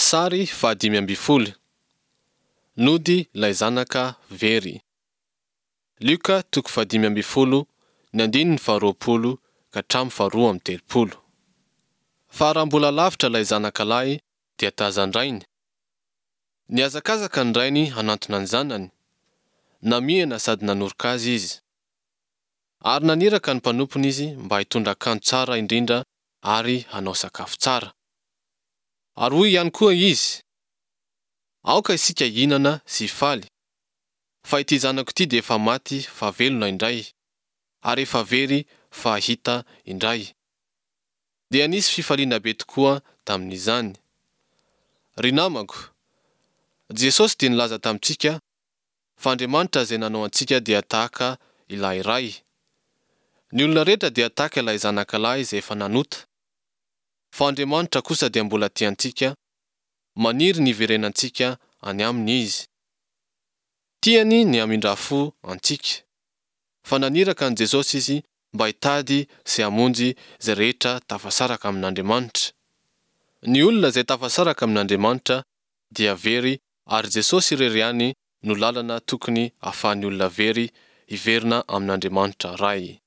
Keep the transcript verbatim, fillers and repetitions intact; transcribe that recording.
Sary fahadimy ambin'ny folo. Nody ilay zanaka very. Lioka toko fahadimy ambin'ny folo, ny andininy faharoapolo ka hatramin'ny faharoa amby telopolo. Fa raha mbola lavitra ilay zanaka lahy dia tazan-drainy. Nihazakazaka ny rainy hanantona ny zanany. Namihana sady nanoroka azy izy. Ary naniraka ny mpanompony izy mba hitondra akanjo tsara indrindra ary hanao sakafo tsara. Ary hoy ihany koa izy, Aoka isika hihinana sy hifaly, fa ity zanako ity dia efa maty fa velona indray, ary efa very fa hita indray. Dia nisy fifaliana be tokoa tamin'izany. Ry namako, Jesosy dia nilaza tamintsika fa Andriamanitra izay nanao antsika dia tahaka ilay Ray. Ny olona rehetra dia tahaka ilay zanakalahy izay efa nanota. Fa Andriamanitra kosa dia mbola tia antsika, maniry ny hiverenantsika any Aminy Izy. Tiany ny hamindra fo antsika. Fa naniraka an'i Jesosy Izy mba hitady sy hamonjy izay rehetra tafasaraka amin'Andriamanitra. Ny olona izay tafasaraka amin'Andriamanitra dia very ary Jesosy irery ihany no lalana tokony ahafahan'ny olona very hiverina amin'Andriamanitra Ray.